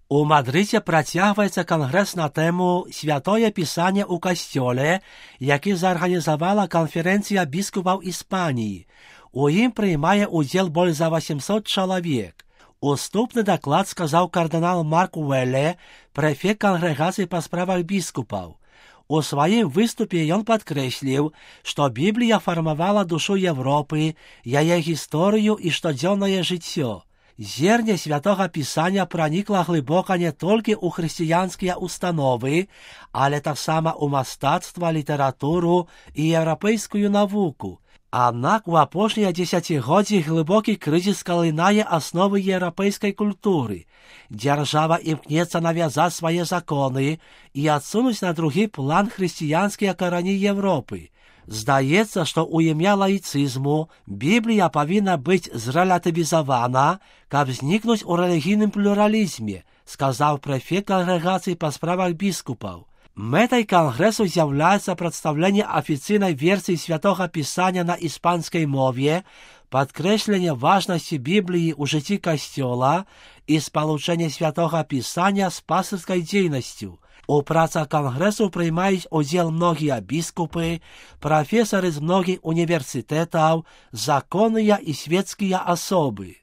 У Мадрыдзе працягваецца кангрэс на тэму «Святое Пісанне ў касцёле», які зарганізавала канферэнцыя біскупаў Іспаніі. У ім прымае ўдзел больш за 800 чалавек. Уступны даклад сказаў кардынал Марк Уэлле, прэфект кангрэгацыі па справах біскупаў. У сваім выступе ён падкрэсліў, што Біблія фармавала душу Европы, яе гісторыю і штодзённае жыццё. Зерне Святога Пісання пранікла глыбока не толькі ў хрысціянскія установы, але таксама ў мастацтва, літаратуру і еўрапейскую навуку. Аднак у апошнія дзесяцігоддзі глыбокі крызіс калынае асновы еўрапейскай культуры. Дзяржава імкнецца навязаць свае законы і адсунуць на другі план хрысціянскія карані Европы. Здаецца, што ў імя лаіцызму Біблія павінна быць зрэлятывізавана, каб знікнуць у рэлігійным плюралізме, сказаў прэфект кангрэгацыі па справах біскупаў. Мэтай кангрэсу з'яўляецца прадстаўленне афіцыйнай версіі Святога Пісання на іспанскай мове, падкрэсленне важнасці Бібліі ў жыцці касцёла і спалучэнне Святога Пісання з пастырскай дзейнасцю. У працах кангрэсу прымаюць удзел многія біскупы, прафесары з многіх універсітэтаў, законныя і свецкія асобы.